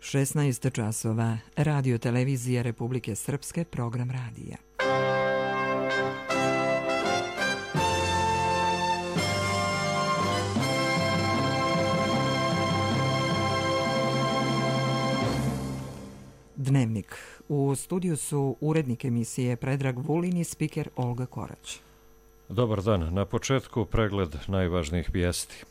16 časova, Radio televizija Republike Srpske, program radija. Dnevnik. U studiju su urednik emisije Predrag Vulin i spiker Olga Korać. Dobar dan. Na početku pregled najvažnijih vijesti.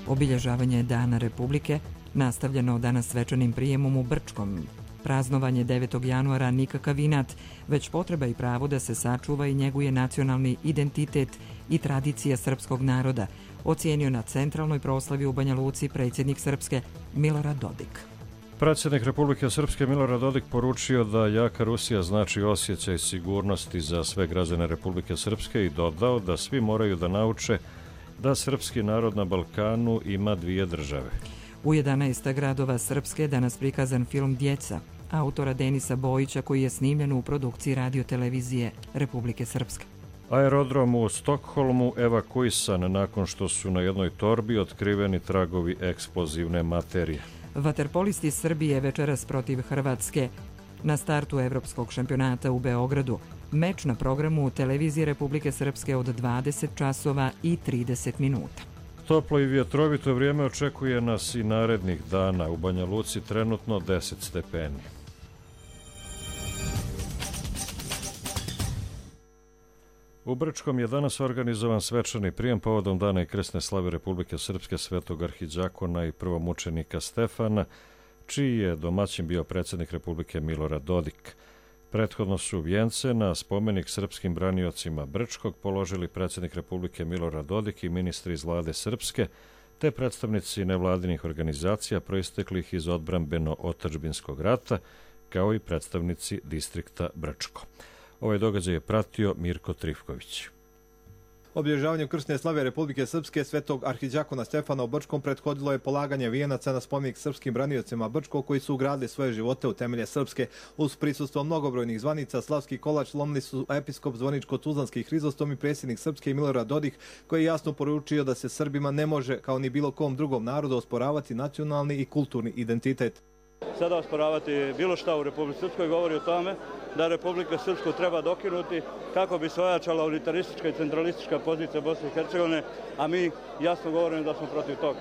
Obilježavanje Dana Republike nastavljeno danas svečanim prijemom u Brčkom. Praznovanje 9. januara nikakav inat, već potreba i pravo da se sačuva i njeguje nacionalni identitet i tradicija srpskog naroda, ocijenio na centralnoj proslavi u Banja Luci predsjednik Srpske Milorad Dodik. Predsjednik Republike Srpske Milorad Dodik poručio da jaka Rusija znači osjećaj sigurnosti za sve građane Republike Srpske i dodao da svi moraju da nauče da srpski narod na Balkanu ima dvije države. U 11 gradova Srpske danas prikazan film Djeca, autora Denisa Bojića, koji je snimljen u produkciji Radio televizije Republike Srpske. Aerodrom u Stokholmu evakuisan nakon što su na jednoj torbi otkriveni tragovi eksplozivne materije. Vaterpolisti Srbije večeras protiv Hrvatske na startu Evropskog šampionata u Beogradu. Meč na programu televizije Republike Srpske od 20 časova i 30 minuta. Toplo i vjetrovito vrijeme očekuje nas i narednih dana. U Banja Luci trenutno 10 stepeni. U Brčkom je danas organizovan svečani prijem povodom Dana i krsne slave Republike Srpske Svetog arhidžakona i prvomučenika Stefana, čiji je domaćin bio predsjednik Republike Milorad Dodik. Prethodno su vijence na spomenik srpskim braniocima Brčkog položili predsjednik Republike Milorad Dodik i ministri iz vlade Srpske, te predstavnici nevladinih organizacija proisteklih iz odbrambeno-otadžbinskog rata, kao i predstavnici distrikta Brčko. Ovaj događaj je pratio Mirko Trifković. Obilježavanju krsne slave Republike Srpske Svetog arhidžakona Stefana u Brčkom prethodilo je polaganje vijenaca na spomenik srpskim braniocima Brčkog koji su ugradili svoje živote u temelje Srpske. Uz prisustvo mnogobrojnih zvanica, slavski kolač lomili su episkop Zvoničko-Tuzlanski Hrizostom i predsjednik Srpske Milorad Dodik, koji je jasno poručio da se Srbima ne može, kao ni bilo kom drugom narodu, osporavati nacionalni i kulturni identitet. Sada osporavati bilo šta u Republici Srpskoj govori o tome da Republika Srpsku treba dokinuti kako bi se ojačala unitaristička i centralistička pozicija Bosne i Hercegovine, a mi jasno govorimo da smo protiv toga.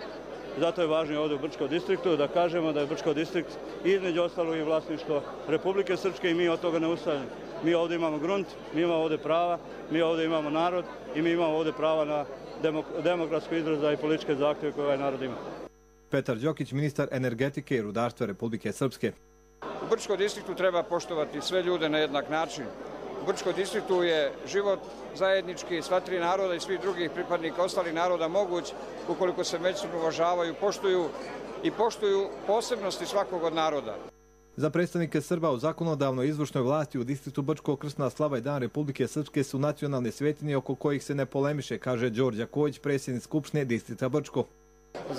Zato je važno ovdje u Brčkom distriktu da kažemo da je Brčko distrikt između ostalog i vlasništvo Republike Srpske i mi od toga ne ustajemo. Mi ovdje imamo grunt, mi imamo ovdje prava, mi ovdje imamo narod i mi imamo ovdje prava na demokratsko izraza i političke zahtjeve koje ovaj narod ima. Petar Đokić, ministar energetike i rudarstva Republike Srpske. U Brčkom distriktu treba poštovati sve ljude na jednak način. U Brčkom distriktu je život zajednički sva tri naroda i svih drugih pripadnika ostalih naroda moguć ukoliko se međusobno uvažavaju, poštuju posebnosti svakog od naroda. Za predstavnike Srba u zakonodavnoj izvršnoj vlasti u distriktu Brčko krsna slava i Dan Republike Srpske su nacionalne svetinje oko kojih se ne polemiše, kaže Đorđe Kojić, predsjednik Skupštine distrikta Brčko.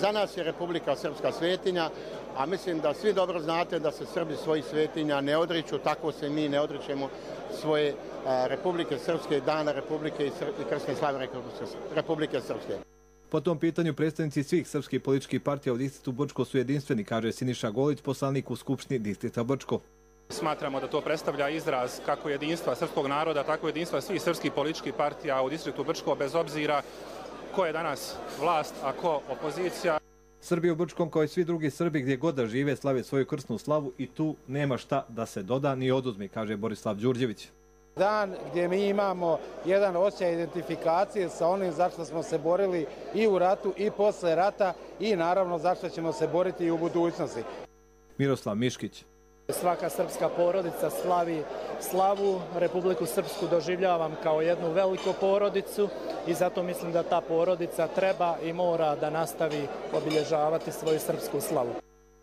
Za nas je Republika Srpska svetinja, a mislim da svi dobro znate da se Srbi svojih svetinja ne odriču, tako se mi ne odričemo svoje Republike Srpske, Dana Republike i krsne slave Republike Srpske. Po tom pitanju predstavnici svih srpskih političkih partija u distriktu Brčko su jedinstveni, kaže Siniša Golić, poslanik u Skupštini distrikta Brčko. Smatramo da to predstavlja izraz kako jedinstva srpskog naroda, tako jedinstva svih srpskih političkih partija u distriktu Brčko, bez obzira ko je danas vlast, a ko opozicija. Srbi u Brčkom, kao i svi drugi Srbi gdje god da žive, slave svoju krsnu slavu i tu nema šta da se doda ni oduzme, kaže Borislav Đurđević. Dan gdje mi imamo jedan osjećaj identifikacije sa onim zašto smo se borili i u ratu i posle rata i naravno zašto ćemo se boriti i u budućnosti. Miroslav Miškić. Svaka srpska porodica slavi slavu, Republiku Srpsku doživljavam kao jednu veliku porodicu i zato mislim da ta porodica treba i mora da nastavi obilježavati svoju srpsku slavu.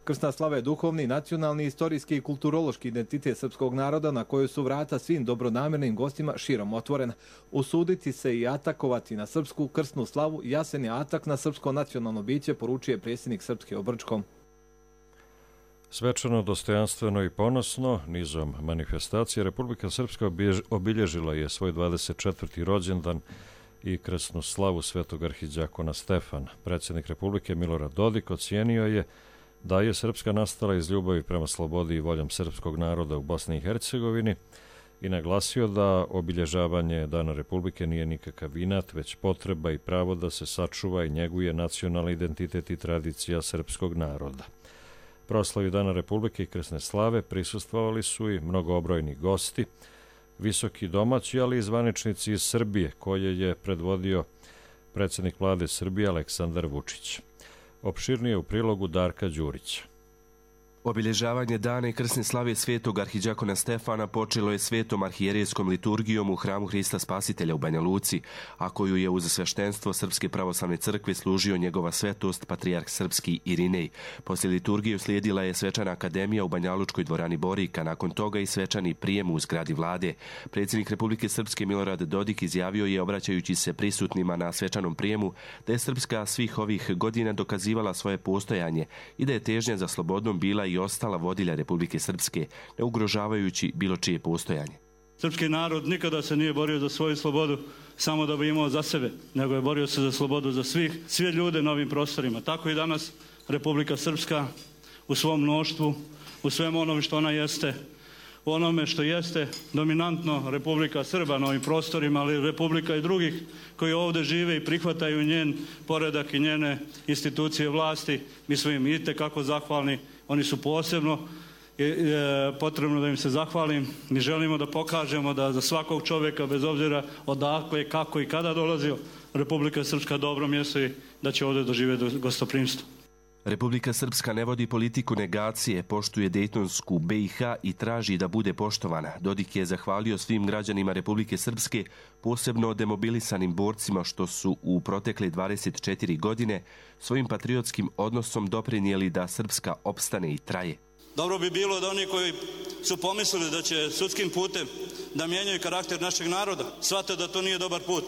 Krsna slava je duhovni, nacionalni, istorijski i kulturološki identitet srpskog naroda na kojoj su vrata svim dobronamernim gostima širom otvorena. Usuditi se i atakovati na srpsku krsnu slavu jasen je atak na srpsko nacionalno biće, poručuje predsjednik Srpske u Brčkom. Svečano, dostojanstveno i ponosno, nizom manifestacije, Republika Srpska obilježila je svoj 24. rođendan i krsnu slavu svetog arhidjakona Stefana. Predsjednik Republike Milorad Dodik ocijenio je da je Srpska nastala iz ljubavi prema slobodi i voljom srpskog naroda u Bosni i Hercegovini i naglasio da obilježavanje Dana Republike nije nikakav inat, već potreba i pravo da se sačuva i njeguje nacionalni identitet i tradicija srpskog naroda. Proslavi Dana Republike i krsne slave prisustvovali su i mnogobrojni gosti, visoki domaći, ali i zvaničnici iz Srbije, koje je predvodio predsjednik vlade Srbije Aleksandar Vučić. Opširnije u prilogu Darka Đurića. Obilježavanje dana i krsne slave svetog arhidjakona Stefana počelo je svetom arhijerejskom liturgijom u hramu Hrista Spasitelja u Banja Luci, a koju je uz sveštenstvo Srpske pravoslavne crkve služio njegova svetost patrijarh srpski Irinej. Poslije liturgije uslijedila je svečana akademija u Banjalučkoj dvorani Borika, nakon toga i svečani prijem u zgradi vlade. Predsjednik Republike Srpske Milorad Dodik izjavio je, obraćajući se prisutnima na svečanom prijemu, da je Srpska svih ovih godina dokazivala svoje postojanje i da je težnja za slobodom bila i ostala vodilja Republike Srpske, ne ugrožavajući bilo čije postojanje. Srpski narod nikada se nije borio za svoju slobodu samo da bi imao za sebe, nego je borio se za slobodu za sve ljude na ovim prostorima. Tako i danas Republika Srpska u svom mnoštvu, u svemu onome što ona jeste, u onome što jeste dominantno Republika Srba na ovim prostorima, ali Republika i drugih koji ovdje žive i prihvataju njen poredak i njene institucije vlasti. Mi smo im itekako zahvalni. Oni su posebno potrebno da im se zahvalim. Mi želimo da pokažemo da za svakog čovjeka, bez obzira odakle, kako i kada dolazio, Republika Srpska dobro mjesto i da će ovdje doživjeti gostoprimstvo. Republika Srpska ne vodi politiku negacije, poštuje Dejtonsku BiH i traži da bude poštovana. Dodik je zahvalio svim građanima Republike Srpske, posebno demobilisanim borcima što su u protekle 24 godine svojim patriotskim odnosom doprinijeli da Srpska opstane i traje. Dobro bi bilo da oni koji su pomislili da će sudskim putem da mijenjaju karakter našeg naroda, shvate da to nije dobar put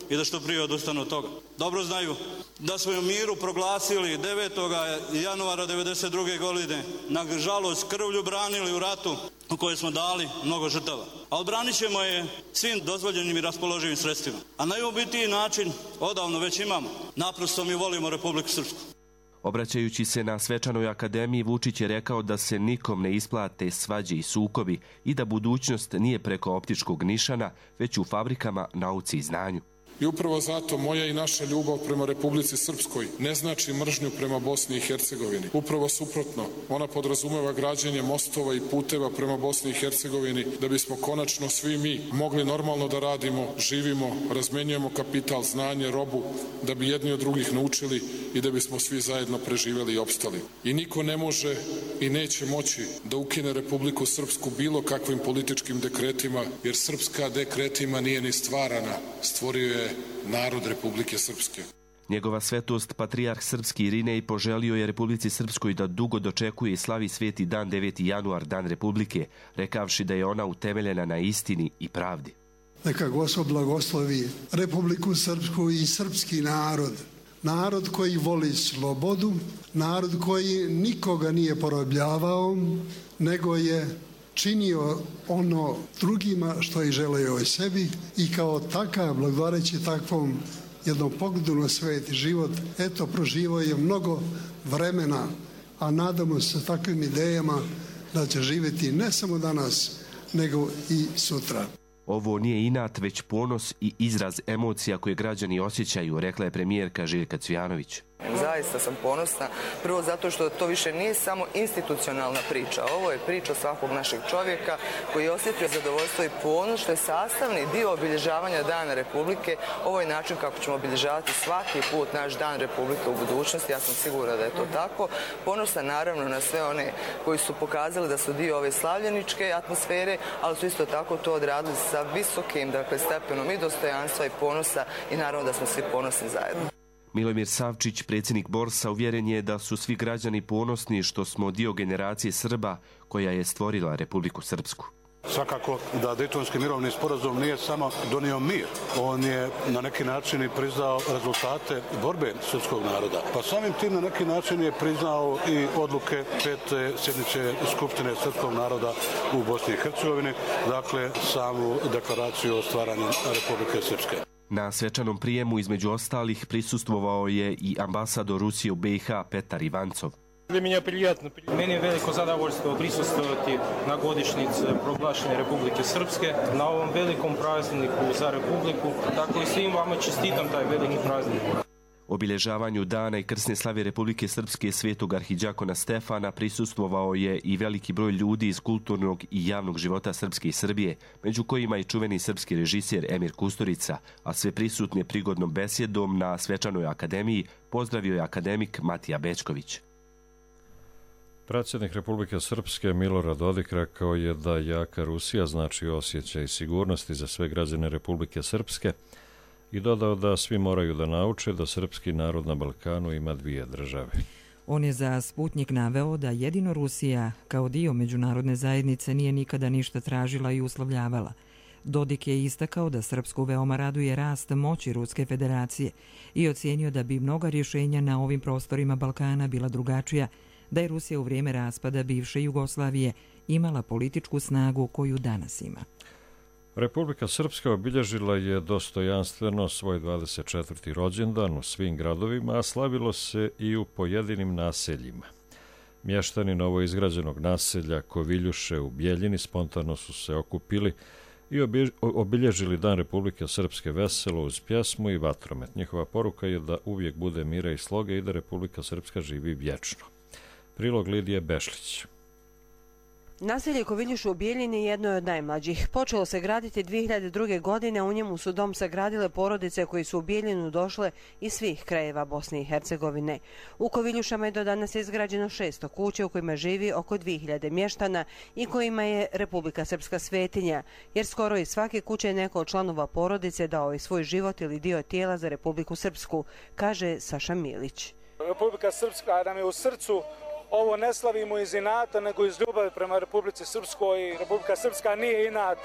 i da što prije odustanu od toga. Dobro znaju da smo u miru proglasili 9. januara 1992. godine, nažalost krvlju branili u ratu u kojoj smo dali mnogo žrtava. A odbranit ćemo je svim dozvoljenim i raspoloživim sredstvima. A najubitiji način odavno već imamo. Naprosto mi volimo Republiku Srpsku. Obraćajući se na svečanoj akademiji, Vučić je rekao da se nikom ne isplate svađe i sukobi i da budućnost nije preko optičkog nišana, već u fabrikama, nauci i znanju. I upravo zato moja i naša ljubav prema Republici Srpskoj ne znači mržnju prema Bosni i Hercegovini. Upravo suprotno, ona podrazumeva građenje mostova i puteva prema Bosni i Hercegovini da bismo konačno svi mi mogli normalno da radimo, živimo, razmenjujemo kapital, znanje, robu, da bi jedni od drugih naučili i da bismo svi zajedno preživjeli i opstali. I niko ne može i neće moći da ukine Republiku Srpsku bilo kakvim političkim dekretima, jer srpska dekretima nije ni stvarana, stvorio je narod Republike Srpske. Njegova svetost, patrijarh srpski Irinej, poželio je Republici Srpskoj da dugo dočekuje i slavi sveti dan 9. januar, dan Republike, rekavši da je ona utemeljena na istini i pravdi. Neka Gospod blagoslovi Republiku Srpsku i srpski narod. Narod koji voli slobodu, narod koji nikoga nije porobljavao, nego je činio ono drugima što i želeo o sebi i kao takav, blagodareći takvom jednom pogledu na svet i život, eto, proživao je mnogo vremena, a nadamo se takvim idejama da će živjeti ne samo danas, nego i sutra. Ovo nije inat, već ponos i izraz emocija koje građani osjećaju, rekla je premijerka Željka Cvijanović. Zaista sam ponosna, prvo zato što to više nije samo institucionalna priča. Ovo je priča svakog našeg čovjeka koji je osjetio zadovoljstvo i ponos što je sastavni dio obilježavanja Dana Republike. Ovo je način kako ćemo obilježavati svaki put naš Dan Republike u budućnosti. Ja sam sigurna da je to tako. Ponosna naravno na sve one koji su pokazali da su dio ove slavljeničke atmosfere, ali su isto tako to odradili sa visokim stepenom i dostojanstva i ponosa i naravno da smo svi ponosni zajedno. Milomir Savčić, predsjednik Borsa, uvjeren je da su svi građani ponosni što smo dio generacije Srba koja je stvorila Republiku Srpsku. Svakako da Dejtonski mirovni sporazum nije samo donio mir, on je na neki način i priznao rezultate borbe srpskog naroda. Pa samim tim na neki način je priznao i odluke 5. sjednice Skupštine srpskog naroda u Bosni i Hercegovini, dakle samu deklaraciju o stvaranju Republike Srpske. Na svečanom prijemu između ostalih prisustvovao je i ambasador Rusije u BiH Petar Ivancov. Meni je veliko zadovoljstvo prisustvovati na godišnjici proglašenja Republike Srpske, na ovom velikom prazniku za Republiku, tako i svim vama čestitam taj veliki praznik. Obilježavanju dana i krsne slave Republike Srpske svetog arhidjakona Stefana prisustvovao je i veliki broj ljudi iz kulturnog i javnog života Srpske i Srbije, među kojima i čuveni srpski režiser Emir Kusturica, a sve prisutne prigodnom besjedom na svečanoj akademiji pozdravio je akademik Matija Bečković. Predsjednik Republike Srpske Milorad Dodik rekao je da jaka Rusija znači osjećaj sigurnosti za sve građane Republike Srpske i dodao da svi moraju da nauče da srpski narod na Balkanu ima dvije države. On je za Sputnjik naveo da jedino Rusija, kao dio međunarodne zajednice, nije nikada ništa tražila i uslovljavala. Dodik je istakao da Srpsku veoma raduje rast moći Ruske federacije i ocijenio da bi mnoga rješenja na ovim prostorima Balkana bila drugačija, da je Rusija u vrijeme raspada bivše Jugoslavije imala političku snagu koju danas ima. Republika Srpska obilježila je dostojanstveno svoj 24. rođendan u svim gradovima, a slavilo se i u pojedinim naseljima. Mještani novoizgrađenog naselja Koviljuše u Bijeljini spontano su se okupili i obilježili Dan Republike Srpske veselo uz pjesmu i vatromet. Njihova poruka je da uvijek bude mira i sloge i da Republika Srpska živi vječno. Prilog Lidije Bešlić. Naselje Koviljuše u Bijeljini jedno je od najmlađih. Počelo se graditi 2002. godine, u njemu su dom sagradile porodice koji su u Bijeljinu došle iz svih krajeva Bosne i Hercegovine. U Koviljušama je do danas izgrađeno 600 kuća u kojima živi oko 2000 mještana i kojima je Republika Srpska svetinja, jer skoro iz svake kuće je neko od članova porodice dao i svoj život ili dio tijela za Republiku Srpsku, kaže Saša Milić. Republika Srpska nam je u srcu. Ovo ne slavimo iz inata, nego iz ljubavi prema Republici Srpskoj. Republika Srpska nije inat,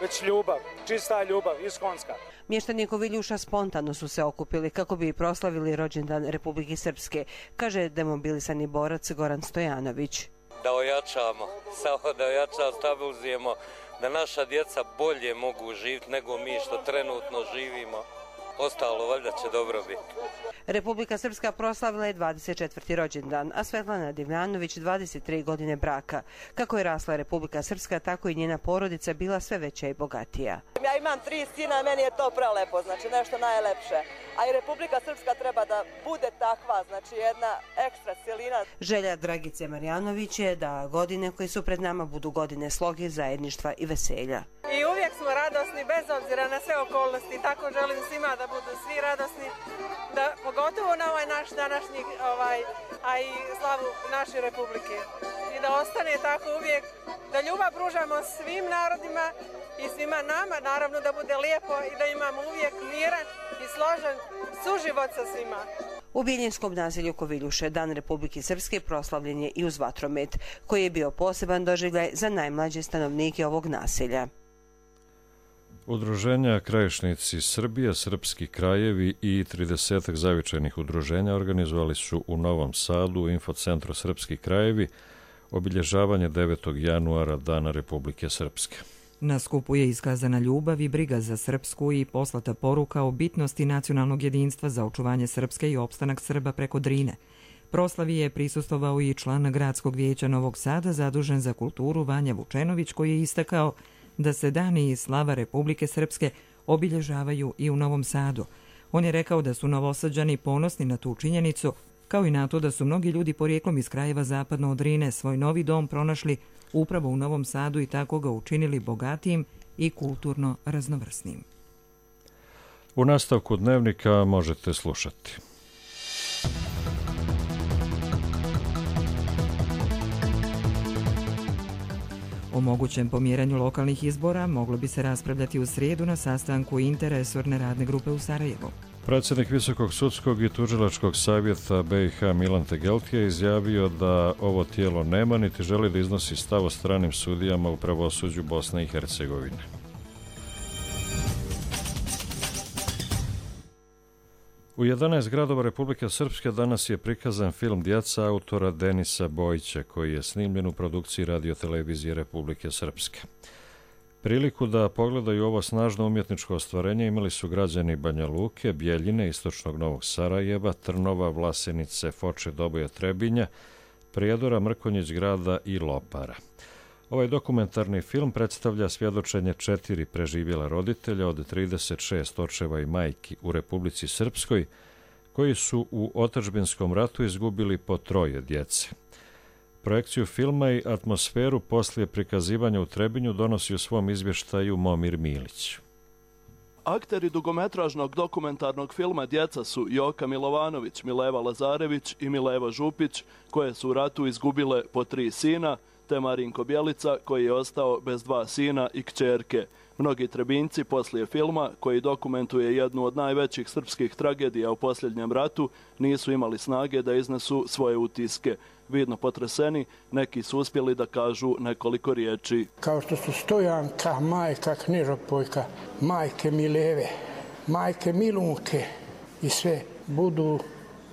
već ljubav, čista ljubav, iskonska. Mještani Koviljuša spontano su se okupili kako bi proslavili rođendan Republike Srpske, kaže demobilisani borac Goran Stojanović. Da ojačamo, samo da ojačamo, stabilizujemo, da naša djeca bolje mogu živjeti nego mi što trenutno živimo. Ostalo valjda će dobro biti. Republika Srpska proslavila je 24. rođendan, a Svetlana Divljanović 23 godine braka. Kako je rasla Republika Srpska, tako i njena porodica bila sve veća i bogatija. Ja imam 3 sina, meni je to prelepo, znači nešto najlepše. A i Republika Srpska treba da bude takva, znači jedna ekstra cijelina. Želja Dragice Marjanović je da godine koje su pred nama budu godine sloge, zajedništva i veselja. I uvijek smo radosni bez obzira na sve okolnosti, tako želim svima da budu svi radosni, da pogotovo na ovaj naš današnji, a i slavu naše Republike. I da ostane tako uvijek, da ljubav pružamo svim narodima i svima nama, naravno da bude lijepo i da imamo uvijek miran i složen suživot sa svima. U biljinskom naselju Koviljuše Dan Republike Srpske proslavljen je i uz vatromet, koji je bio poseban doživljaj za najmlađe stanovnike ovog naselja. Udruženja Krajišnici Srbije, Srpski krajevi i 30 zavičajnih udruženja organizovali su u Novom Sadu u Infocentru Srpski krajevi obilježavanje 9. januara Dana Republike Srpske. Na skupu je iskazana ljubav i briga za Srpsku i poslata poruka o bitnosti nacionalnog jedinstva za očuvanje Srpske i opstanak Srba preko Drine. Proslavi je prisustvovao i član Gradskog vijeća Novog Sada zadužen za kulturu Vanja Vučenović, koji je istakao da se dani i slava Republike Srpske obilježavaju i u Novom Sadu. On je rekao da su Novosađani ponosni na tu činjenicu, kao i na to da su mnogi ljudi porijeklom iz krajeva zapadno od Drine svoj novi dom pronašli upravo u Novom Sadu i tako ga učinili bogatijim i kulturno raznovrsnim. U nastavku dnevnika možete slušati. O mogućem pomjeranju lokalnih izbora moglo bi se raspravljati u srijedu na sastanku interresorne radne grupe u Sarajevu. Predsjednik Visokog sudskog i tužilačkog savjeta BiH Milan Tegeltija je izjavio da ovo tijelo nema niti želi da iznosi stav o stranim sudijama u pravosuđu Bosne i Hercegovine. U 11 gradova Republike Srpske danas je prikazan film Djeca autora Denisa Bojića, koji je snimljen u produkciji radiotelevizije Republike Srpske. Priliku da pogledaju ovo snažno umjetničko ostvarenje imali su građani Banja Luke, Bjeljine, istočnog Novog Sarajeva, Trnova, Vlasenice, Foče, Doboja, Trebinja, Prijedora, Mrkonjić grada i Lopara. Ovaj dokumentarni film predstavlja svjedočenje 4 preživjela roditelja od 36 očeva i majki u Republici Srpskoj, koji su u otadžbinskom ratu izgubili po 3 djece. Projekciju filma i atmosferu poslije prikazivanja u Trebinju donosi u svom izvještaju Momir Milić. Akteri dugometražnog dokumentarnog filma Djeca su Joka Milovanović, Mileva Lazarević i Mileva Župić, koje su u ratu izgubile po 3 sina, te Marinko Bjelica, koji je ostao bez 2 sina i kćerke. Mnogi Trebinjci poslije filma, koji dokumentuje jednu od najvećih srpskih tragedija u posljednjem ratu, nisu imali snage da iznesu svoje utiske. Vidno potreseni, neki su uspjeli da kažu nekoliko riječi. Kao što su Stojanka, majka Knežopojka, majke Mileve, majke Milunke i sve budu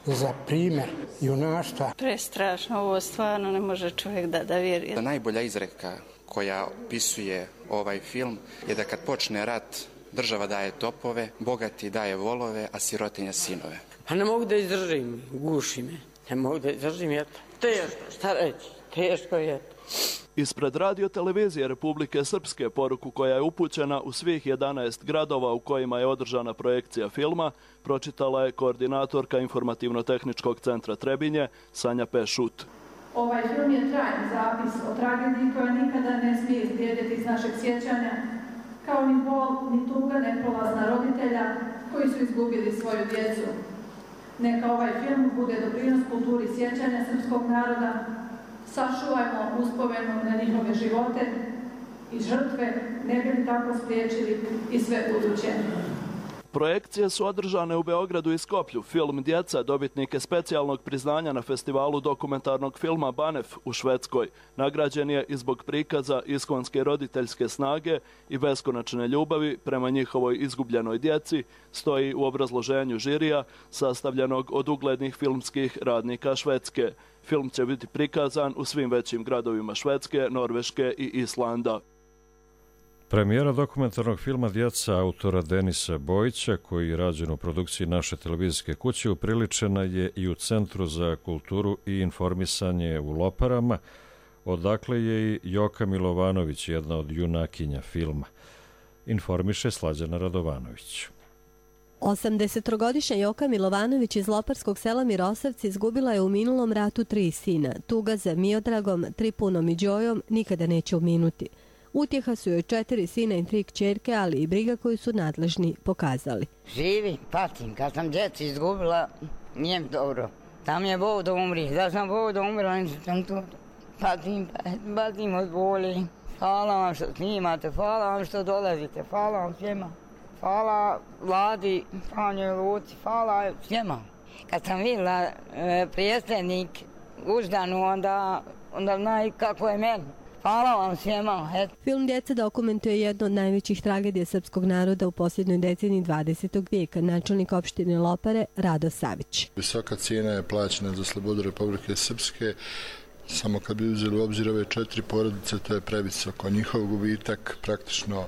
za primjer junaštva. Prestrašno, ovo stvarno ne može čovjek da vjeruje. Najbolja izreka koja opisuje ovaj film je da kad počne rat, država daje topove, bogati daje volove, a sirotinja sinove. Pa ne mogu da izdržim, guši me. Ne mogu da izdržim, jer teško, šta reći, teško je. Ispred radio-televizije Republike Srpske poruku koja je upućena u svih 11 gradova u kojima je održana projekcija filma, pročitala je koordinatorka Informativno-tehničkog centra Trebinje, Sanja Pešut. Ovaj film je trajni zapis o tragediji koja nikada ne smije izblijediti iz našeg sjećanja, kao ni bol, ni tuga neprolazna roditelja koji su izgubili svoju djecu. Neka ovaj film bude doprinos kulturi sjećanja srpskog naroda, sačuvajmo uspomenu na njihove živote i žrtve, ne bi li tako spriječili i sve buduće. Projekcije su održane u Beogradu i Skoplju. Film Djeca dobitnik je specijalnog priznanja na festivalu dokumentarnog filma Banef u Švedskoj. Nagrađen je i zbog prikaza iskonske roditeljske snage i beskonačne ljubavi prema njihovoj izgubljenoj djeci, stoji u obrazloženju žirija sastavljenog od uglednih filmskih radnika Švedske. Film će biti prikazan u svim većim gradovima Švedske, Norveške i Islanda. Premijera dokumentarnog filma Djeca autora Denisa Bojića, koji je rađen u produkciji naše televizijske kuće, upriličena je i u Centru za kulturu i informisanje u Loparama, odakle je i Joka Milovanović, jedna od junakinja filma. Informiše Slađana Radovanović. 80-godišnja Joka Milovanović iz loparskog sela Mirosavci izgubila je u minulom ratu 3 sina. Tuga za Miodragom, Tripunom i Đojom nikada neće uminuti. Utjeha su joj 4 sina i 3 kćerke, ali i briga koju su nadležni pokazali. Živim, patim. Kad sam djecu izgubila, nije mi dobro. Tam je Bog da umri. Da sam Bog da umrla, nisam tu. Patim od boli. Hvala vam što snimate, hvala vam što dolazite, hvala vam svima. Hvala Vladi, Franjoj Luci, hvala svima. Kad sam vidjela prijesednik Uždanu, onda znaju kako je meni. Hvala vam svima. Film Djeca dokumentuje jednu od najvećih tragedija srpskog naroda u posljednjoj deceniji 20. vijeka, načelnik opštine Lopare Rado Savić. Visoka cijena je plaćena za slobodu Republike Srpske. Samo kad bi uzeli u obzir ove 4 porodice, to je previsoko. Njihov gubitak praktično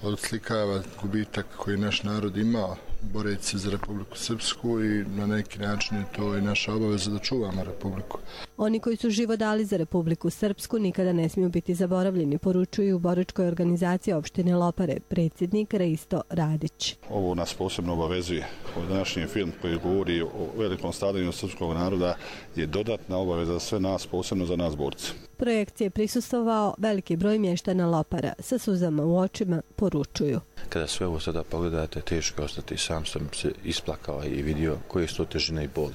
odslikava gubitak koji naš narod ima boreći se za Republiku Srpsku i na neki način je to i naša obaveza da čuvamo Republiku. Oni koji su život dali za Republiku Srpsku nikada ne smiju biti zaboravljeni, poručuju u boričkoj organizaciji opštine Lopare predsjednik Reisto Radić. Ovo nas posebno obavezuje. Današnji film koji govori o velikom stradanju srpskog naroda je dodatna obaveza za sve nas, posebno za nas borce. Projekcije prisustvovao veliki broj mještana Lopara. Sa suzama u očima poručuju. Kada sve ovo sada pogledate, teško ostati. Sam sam se isplakao i vidio koje su to težine i boli.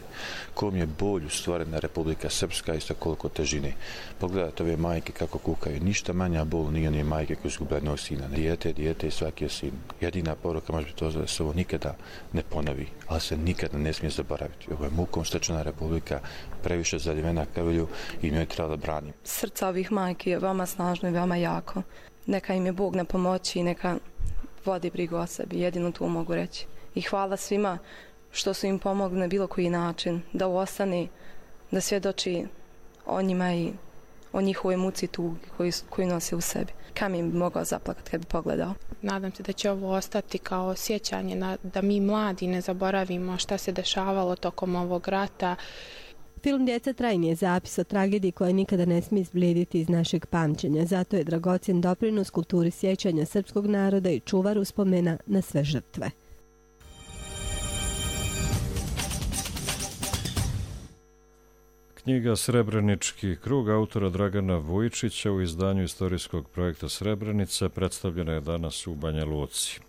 Kom je bolju stvorena Republika Srpska, isto koliko težine. Pogledajte ove majke kako kukaju. Ništa manja bol nije one majke koje su gubile jednog sina. Dijete i svaki je sin. Jedina poruka može biti to da se ovo nikada ne ponovi, ali se nikada ne smije zaboraviti. Ovo je mukom stečena Republika, previše zaljevena krvlju i njoj treba da brani. Srca ovih majki je veoma snažno i veoma jako. Neka im je Bog na pomoći i neka vodi brigu o sebi, jedino to mogu reći. I hvala svima što su im pomogli na bilo koji način, da ostane, da svjedoči o njima i o njihovoj muci i tugi koju nose u sebi. Kamen bi mogao zaplakati kad bi pogledao. Nadam se da će ovo ostati kao sjećanje da mi mladi ne zaboravimo šta se dešavalo tokom ovog rata. Film Djeca trajni je zapis o tragediji koja nikada ne smije izblijediti iz našeg pamćenja. Zato je dragocjen doprinos kulturi sjećanja srpskog naroda i čuvar uspomena na sve žrtve. Knjiga Srebrenički krug autora Dragana Vujičića u izdanju istorijskog projekta Srebrenica predstavljena je danas u Banja Luci.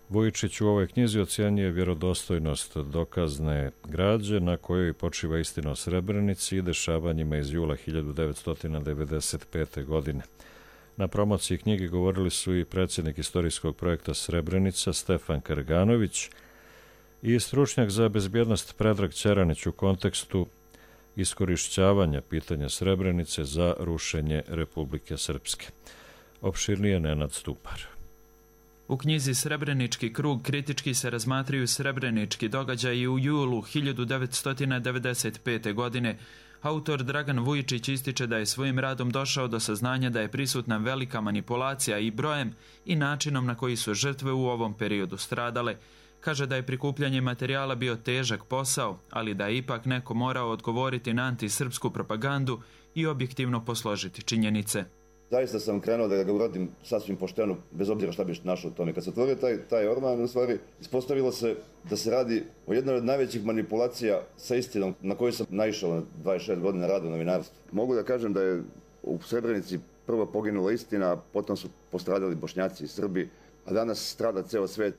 Vujičić u ovoj knjizi ocjenjuje vjerodostojnost dokazne građe na kojoj počiva istina o Srebrenici i dešavanjima iz jula 1995. godine. Na promociji knjige govorili su i predsjednik istorijskog projekta Srebrenica Stefan Karganović i stručnjak za bezbjednost Predrag Ćeranić u kontekstu iskorišćavanja pitanja Srebrenice za rušenje Republike Srpske. Opširnije Nenad Stupar. U knjizi Srebrenički krug kritički se razmatraju srebrenički događaji u julu 1995. godine. Autor Dragan Vujičić ističe da je svojim radom došao do saznanja da je prisutna velika manipulacija i brojem i načinom na koji su žrtve u ovom periodu stradale. Kaže da je prikupljanje materijala bio težak posao, ali da je ipak neko morao odgovoriti na antisrpsku propagandu i objektivno posložiti činjenice. Zaista sam krenuo da ga uradim sasvim pošteno, bez obzira šta bi našao u tome. Kad se otvorio taj orman, u stvari, ispostavilo se da se radi o jednoj od najvećih manipulacija sa istinom na koju sam naišao na 26 godina rada u novinarstvu. Mogu da kažem da je u Srebrenici prvo poginula istina, potom su postradali Bošnjaci i Srbi, a danas strada ceo svet.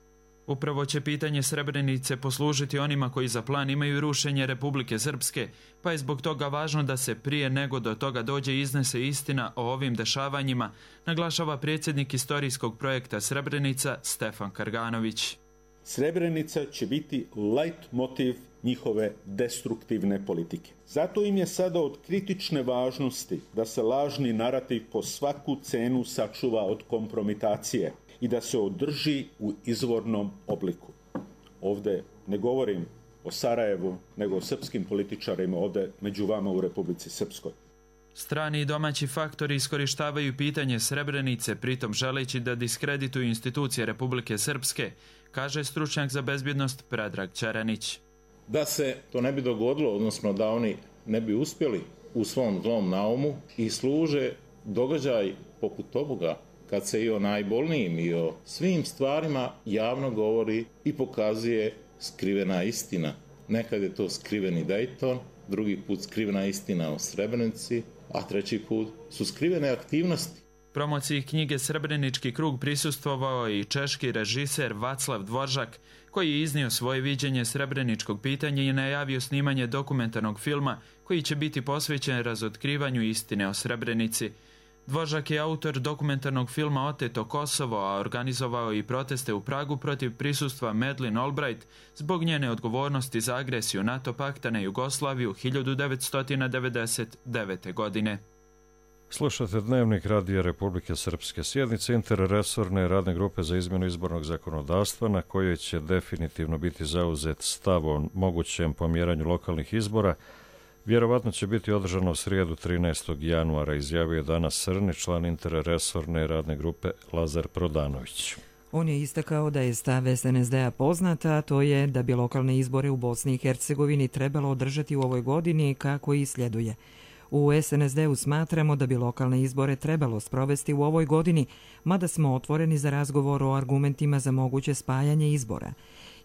Upravo će pitanje Srebrenice poslužiti onima koji za plan imaju rušenje Republike Srpske, pa je zbog toga važno da se prije nego do toga dođe iznese istina o ovim dešavanjima, naglašava predsjednik istorijskog projekta Srebrenica Stefan Karganović. Srebrenica će biti lajt motiv njihove destruktivne politike. Zato im je sada od kritične važnosti da se lažni narativ po svaku cenu sačuva od kompromitacije i da se održi u izvornom obliku. Ovdje ne govorim o Sarajevu, nego o srpskim političarima ovdje među vama u Republici Srpskoj. Strani i domaći faktori iskorištavaju pitanje Srebrenice, pritom želeći da diskredituju institucije Republike Srpske, kaže stručnjak za bezbjednost Predrag Ćeranić. Da se to ne bi dogodilo, odnosno da oni ne bi uspjeli u svom zlom naumu i služe događaj poput ovoga, kad se i o najbolnijim i o svim stvarima javno govori i pokazuje skrivena istina. Nekad je to skriveni Dayton, drugi put skrivena istina o Srebrenici, a treći put su skrivene aktivnosti. Promociji knjige Srebrenički krug prisustvovao i češki režiser Vaclav Dvoržak, koji je iznio svoje viđenje srebreničkog pitanja i najavio snimanje dokumentarnog filma koji će biti posvećen razotkrivanju istine o Srebrenici. Dvoržak je autor dokumentarnog filma Oteto Kosovo, a organizovao i proteste u Pragu protiv prisustva Madeleine Albright zbog njene odgovornosti za agresiju NATO pakta na Jugoslaviju 1999. godine. Slušate Dnevnik Radija Republike Srpske. Sjednica interresorne radne grupe za izmjenu izbornog zakonodavstva na kojoj će definitivno biti zauzet stav o mogućem pomjeranju lokalnih izbora vjerovatno će biti održano u srijedu 13. januara, izjavio je danas Srni, član interresorne radne grupe Lazar Prodanović. On je istakao da je stav SNSD-a poznat, a to je da bi lokalne izbore u Bosni i Hercegovini trebalo održati u ovoj godini kako i sljeduje. U SNSD-u smatramo da bi lokalne izbore trebalo sprovesti u ovoj godini, mada smo otvoreni za razgovor o argumentima za moguće spajanje izbora.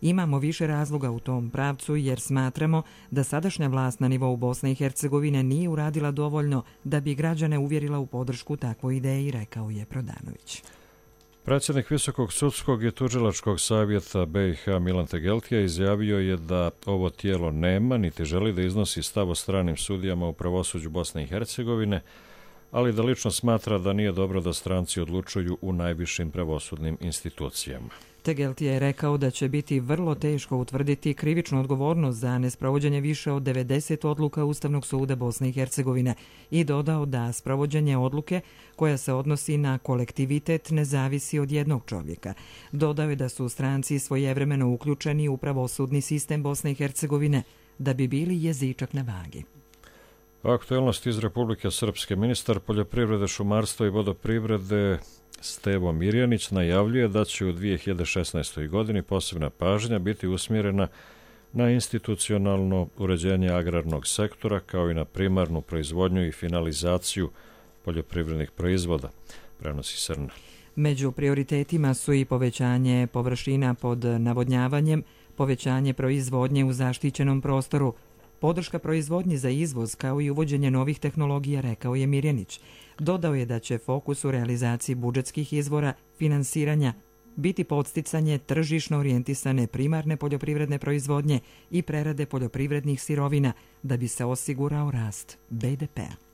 Imamo više razloga u tom pravcu jer smatramo da sadašnja vlast na nivou Bosne i Hercegovine nije uradila dovoljno da bi građane uvjerila u podršku takvoj ideji, rekao je Prodanović. Predsjednik Visokog sudskog i tužilačkog savjeta BiH Milan Tegeltija izjavio je da ovo tijelo nema niti želi da iznosi stav o stranim sudijama u pravosuđu Bosne i Hercegovine, ali da lično smatra da nije dobro da stranci odlučuju u najvišim pravosudnim institucijama. Tegeltija je rekao da će biti vrlo teško utvrditi krivičnu odgovornost za nesprovođenje više od 90 odluka Ustavnog suda Bosne i Hercegovine i dodao da sprovođenje odluke koja se odnosi na kolektivitet ne zavisi od jednog čovjeka. Dodao je da su stranci svojevremeno uključeni u pravosudni sistem Bosne i Hercegovine da bi bili jezičak na vagi. Aktuelnost iz Republike Srpske. Ministar poljoprivrede, šumarstva i vodoprivrede Stevo Mirjanić najavljuje da će u 2016. godini posebna pažnja biti usmjerena na institucionalno uređenje agrarnog sektora kao i na primarnu proizvodnju i finalizaciju poljoprivrednih proizvoda, prenosi Srna. Među prioritetima su i povećanje površina pod navodnjavanjem, povećanje proizvodnje u zaštićenom prostoru, podrška proizvodnji za izvoz kao i uvođenje novih tehnologija, rekao je Mirjanić. Dodao je da će fokus u realizaciji budžetskih izvora finansiranja biti podsticanje tržišno orijentisane primarne poljoprivredne proizvodnje i prerade poljoprivrednih sirovina da bi se osigurao rast BDP-a.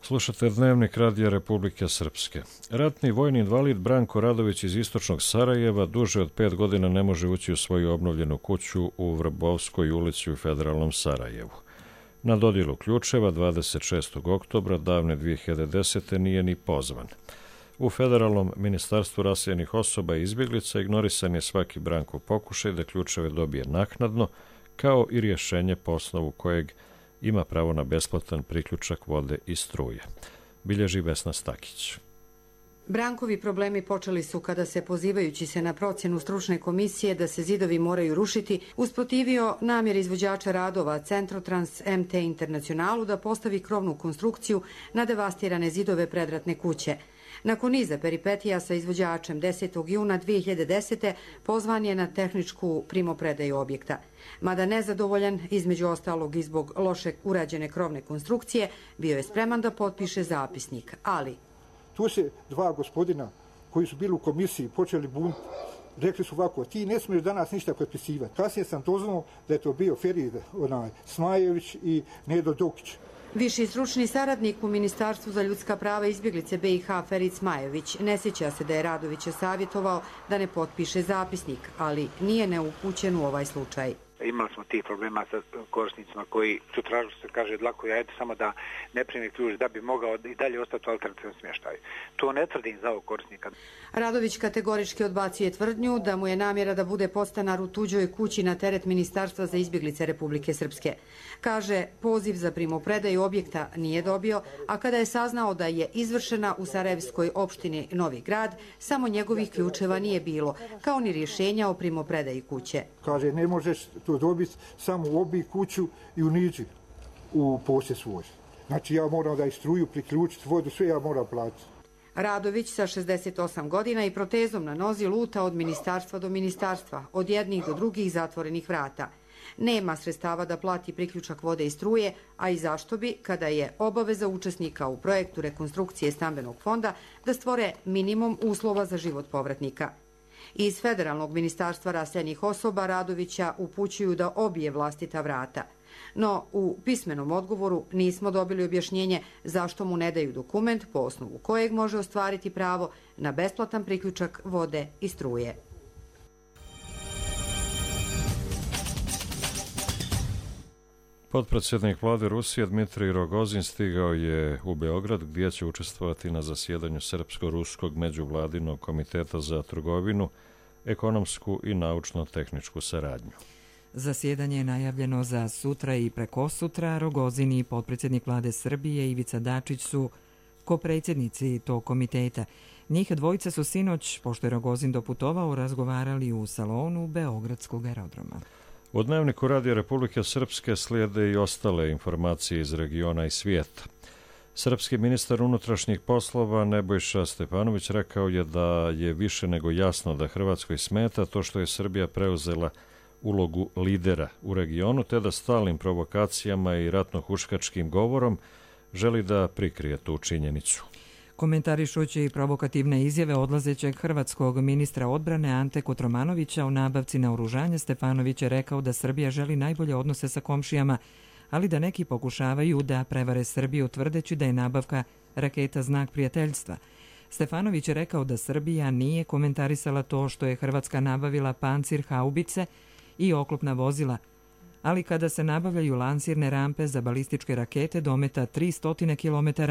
Slušate Dnevnik Radija Republike Srpske. Ratni vojni invalid Branko Radović iz istočnog Sarajeva duže od 5 godina ne može ući u svoju obnovljenu kuću u Vrbovskoj ulici u federalnom Sarajevu. Na dodjelu ključeva 26. oktobra davne 2010. nije ni pozvan. U Federalnom ministarstvu raseljenih osoba i izbjeglica ignorisan je svaki Brankov pokušaj da ključeve dobije naknadno, kao i rješenje po osnovu kojeg ima pravo na besplatan priključak vode i struje. Bilježi Vesna Stakić. Brankovi problemi počeli su kada se, pozivajući se na procjenu stručne komisije da se zidovi moraju rušiti, usprotivio namjer izvođača radova Centrotrans MT Internacionalu da postavi krovnu konstrukciju na devastirane zidove predratne kuće. Nakon niza peripetija sa izvođačem 10. juna 2010. pozvan je na tehničku primopredaju objekta. Mada nezadovoljan, između ostalog i zbog loše urađene krovne konstrukcije, bio je spreman da potpiše zapisnik, ali... Tu se dva gospodina koji su bili u komisiji počeli buniti. Rekli su ovako, ti ne smiješ danas ništa potpisivati. Kasnije sam doznao da je to bio Ferid Smajević i Nedo Dokić. Viši stručni saradnik u Ministarstvu za ljudska prava i izbjeglice BiH Ferid Smajević ne sjeća se da je Radovića savjetovao da ne potpiše zapisnik, ali nije neupućen u ovaj slučaj. Imali smo tih problema sa korisnicima koji su tražili, se kaže, dlako jajete samo da ne primi ključ da bi mogao i dalje ostati u alternativnom smještaju. To ne tvrdim za ovog korisnika. Radović kategorički odbacuje tvrdnju da mu je namjera da bude podstanar u tuđoj kući na teret Ministarstva za izbjeglice Republike Srpske. Kaže, poziv za primopredaju objekta nije dobio, a kada je saznao da je izvršena u Sarajevskoj opštini Novi Grad, samo njegovih ključeva nije bilo, kao ni rješenja o primopredaji kuće. Kaže, ne možeš to dobiti samo u obi kuću i u niđi u posjed svoj. Znači ja moram da istruju, priključiti vodu, sve ja moram platiti. Radović sa 68 godina i protezom na nozi luta od ministarstva do ministarstva, od jednih do drugih zatvorenih vrata. Nema sredstava da plati priključak vode i struje, a i zašto bi, kada je obaveza učesnika u projektu rekonstrukcije stambenog fonda, da stvore minimum uslova za život povratnika. Iz Federalnog ministarstva raseljenih osoba Radovića upućuju da obije vlastita vrata. No, u pismenom odgovoru nismo dobili objašnjenje zašto mu ne daju dokument po osnovu kojeg može ostvariti pravo na besplatan priključak vode i struje. Potpredsjednik vlade Rusije Dmitrij Rogozin stigao je u Beograd gdje će učestvovati na zasjedanju Srpsko-ruskog međuvladinog komiteta za trgovinu, ekonomsku i naučno-tehničku saradnju. Zasjedanje je najavljeno za sutra i prekosutra. Rogozin i potpredsjednik vlade Srbije Ivica Dačić su kopredsjednici tog komiteta. Njih dvojica su sinoć, pošto je Rogozin doputovao, razgovarali u salonu Beogradskog aerodroma. U Dnevniku Radija Republike Srpske slijede i ostale informacije iz regiona i svijeta. Srpski ministar unutrašnjih poslova Nebojša Stefanović rekao je da je više nego jasno da Hrvatskoj smeta to što je Srbija preuzela ulogu lidera u regionu, te da stalnim provokacijama i ratno-huškačkim govorom želi da prikrije tu činjenicu. Komentarišući provokativne izjave odlazećeg hrvatskog ministra odbrane Ante Kotromanovića o nabavci naoružanja, Stefanović je rekao da Srbija želi najbolje odnose sa komšijama, ali da neki pokušavaju da prevare Srbiju tvrdeći da je nabavka raketa znak prijateljstva. Stefanović je rekao da Srbija nije komentarisala to što je Hrvatska nabavila pancir haubice i oklopna vozila, ali kada se nabavljaju lansirne rampe za balističke rakete dometa 300 km,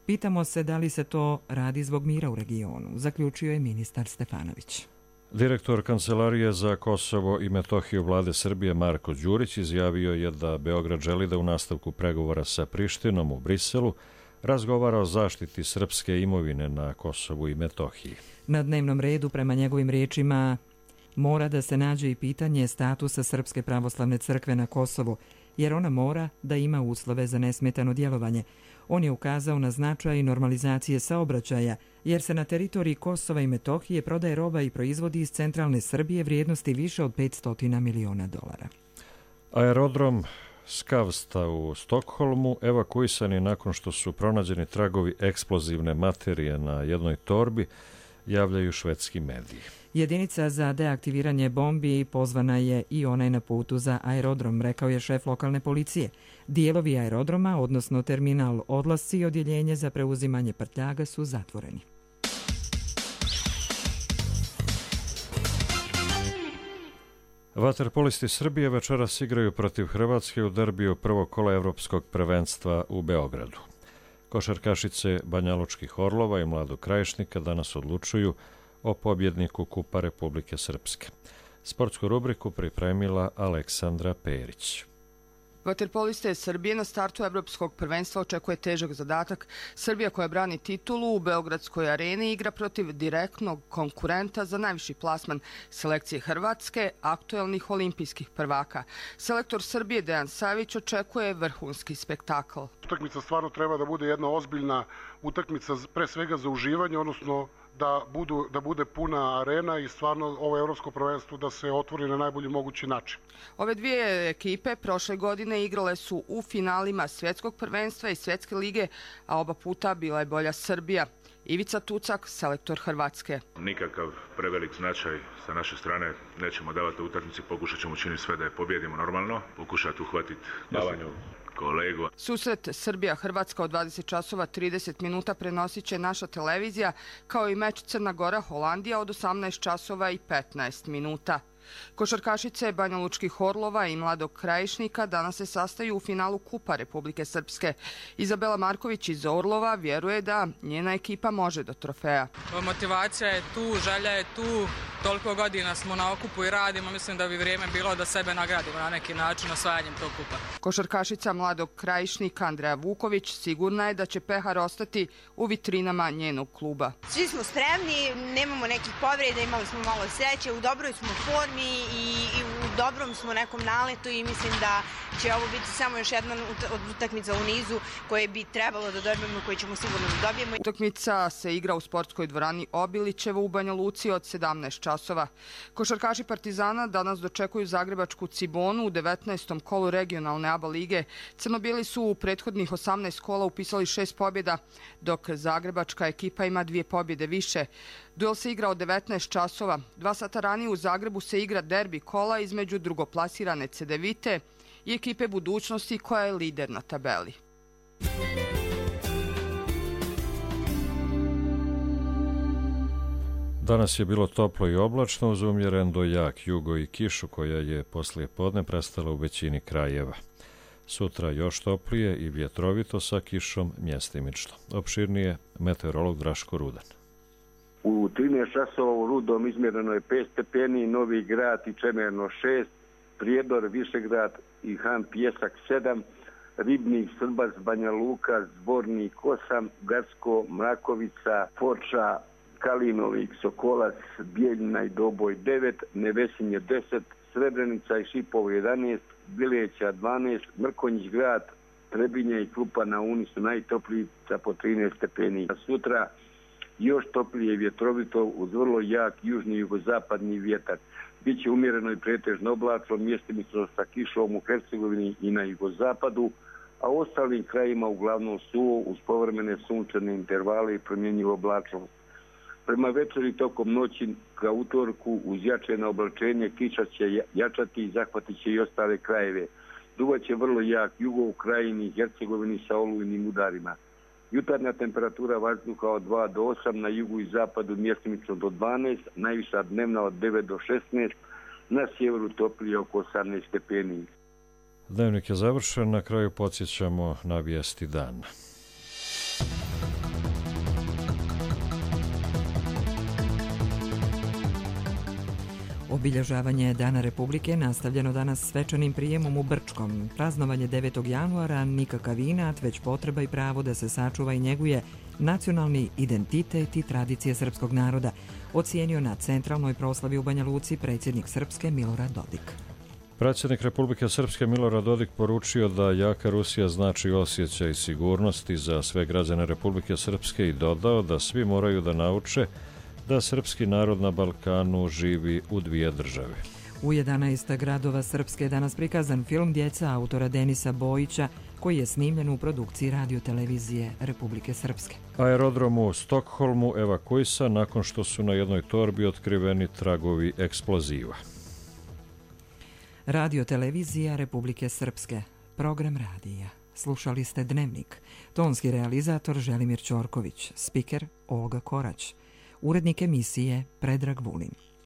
pitamo se da li se to radi zbog mira u regionu, zaključio je ministar Stefanović. Direktor Kancelarije za Kosovo i Metohiju vlade Srbije Marko Đurić izjavio je da Beograd želi da u nastavku pregovora sa Prištinom u Briselu razgovara o zaštiti srpske imovine na Kosovu i Metohiji. Na dnevnom redu, prema njegovim riječima, mora da se nađe i pitanje statusa Srpske pravoslavne crkve na Kosovu, jer ona mora da ima uslove za nesmetano djelovanje. On je ukazao na značaj normalizacije saobraćaja, jer se na teritoriji Kosova i Metohije prodaje roba i proizvodi iz centralne Srbije vrijednosti više od $500 miliona. Aerodrom Skavsta u Stokholmu evakuisan je nakon što su pronađeni tragovi eksplozivne materije na jednoj torbi, javljaju švedski mediji. Jedinica za deaktiviranje bombi pozvana je i ona je na putu za aerodrom, rekao je šef lokalne policije. Dijelovi aerodroma, odnosno terminal odlasci i odjeljenje za preuzimanje prtljaga su zatvoreni. Vaterpolisti Srbije večeras igraju protiv Hrvatske u derbiju prvog kola Evropskog prvenstva u Beogradu. Košarkašice Banjalučkih Orlova i Mladog Krajišnika danas odlučuju o pobjedniku Kupa Republike Srpske. Sportsku rubriku pripremila Aleksandra Perić. Vaterpoliste Srbije na startu Evropskog prvenstva očekuje težak zadatak. Srbija koja brani titulu u Beogradskoj areni igra protiv direktnog konkurenta za najviši plasman selekcije Hrvatske, aktuelnih olimpijskih prvaka. Selektor Srbije Dejan Savić očekuje vrhunski spektakl. Utakmica stvarno treba da bude jedna ozbiljna utakmica, pre svega za uživanje, odnosno da bude puna arena i stvarno ovo evropsko prvenstvo da se otvori na najbolji mogući način. Ove dvije ekipe prošle godine igrale su u finalima svjetskog prvenstva i svjetske lige, a oba puta bila je bolja Srbija. Ivica Tucak, selektor Hrvatske. Nikakav prevelik značaj sa naše strane nećemo davati u utakmici, pokušat ćemo učiniti sve da je pobjedimo normalno, pokušati uhvatiti davanju kolegu. Susret Srbija-Hrvatska od 20 časova 30 minuta prenosit će naša televizija, kao i meč Crna Gora-Holandija od 18 časova i 15 minuta. Košarkašice Banjalučkih Orlova i Mladog Krajišnika danas se sastaju u finalu Kupa Republike Srpske. Izabela Marković iz Orlova vjeruje da njena ekipa može do trofeja. Motivacija je tu, želja je tu, toliko godina smo na okupu i radimo, mislim da bi vrijeme bilo da sebe nagradimo na neki način osvajanjem tog kupa. Košarkašica Mladog Krajišnika Andreja Vuković sigurna je da će pehar ostati u vitrinama njenog kluba. Svi smo spremni, nemamo nekih povreda, imali smo malo sreće, u dobroj smo formi i u dobrom smo nekom naletu i mislim da će ovo biti samo još jedna od utakmica u nizu koje bi trebalo da dobijemo, koje ćemo sigurno da dobijemo. Utakmica se igra u sportskoj dvorani Obilićevo u Banja Luci od 17 časova. Košarkaši Partizana danas dočekuju zagrebačku Cibonu u 19. kolu regionalne ABA lige. Crnobijeli su u prethodnih 18 kola upisali 6 pobjeda, dok zagrebačka ekipa ima 2 pobjede više. Duel se igra od 19 časova. 2 sata ranije u Zagrebu se igra derbi kola između drugoplasirane Cedevite i ekipe Budućnosti koja je lider na tabeli. Danas je bilo toplo i oblačno uz umjeren do jak jugo i kišu koja je poslije podne prestala u većini krajeva. Sutra još toplije i vjetrovito sa kišom mjestimično. Opširnije meteorolog Draško Rudan. U 13 časova u Rudom izmjereno je 5 stepeni, Novi Grad i Čemerno 6, Prijedor, Višegrad i Han Pjesak 7, Ribnik, Srbac, Banja Luka, Zbornik 8, Gacko, Mrakovica, Foča, Kalinovik, Sokolac, Bijeljina i Doboj 9, Nevesinje 10, Srebrenica i Šipovo 11, Bileća 12, Mrkonjić grad, Trebinje i Krupa na Uni su najtopliji sa po 13 stepeni. Sutra još toplije i vjetrovito uz vrlo jak južni i jugozapadni vjetar. Biće umjereno i pretežno oblačno, mjestimično sa kišom u Hercegovini i na jugozapadu, a u ostalim krajima uglavnom suvo uz povremene sunčane intervale i promjenjivo oblačnost. Prema večeri tokom noći ka utorku uz jačeno oblačenje kiša će jačati i zahvatit će i ostale krajeve. Duvaće vrlo jak jugo u krajini i Hercegovini sa olujnim udarima. Jutarnja temperatura vazduha od 2 do 8, na jugu i zapadu mjestimično do 12, najviša dnevna od 9 do 16, na sjeveru toplije oko 18 stepeni. Dnevnik je završen, na kraju podsjećamo na vijesti dana. Obilježavanje Dana Republike nastavljeno danas svečanim prijemom u Brčkom. Praznovanje 9. januara nikakav inat, već potreba i pravo da se sačuva i njeguje nacionalni identitet i tradicije srpskog naroda, ocijenio na centralnoj proslavi u Banja Luci predsjednik Srpske Milorad Dodik. Predsjednik Republike Srpske Milorad Dodik poručio da jaka Rusija znači osjećaj sigurnosti za sve građane Republike Srpske i dodao da svi moraju da nauče da srpski narod na Balkanu živi u dvije države. U 11 gradova Srpske je danas prikazan film Djeca autora Denisa Bojića, koji je snimljen u produkciji radiotelevizije Republike Srpske. Aerodrom u Stokholmu evakuisan nakon što su na jednoj torbi otkriveni tragovi eksploziva. Radiotelevizija Republike Srpske. Program radija. Slušali ste Dnevnik. Tonski realizator Želimir Ćorković. Spiker Olga Korać. Urednik emisije Predrag Vulin.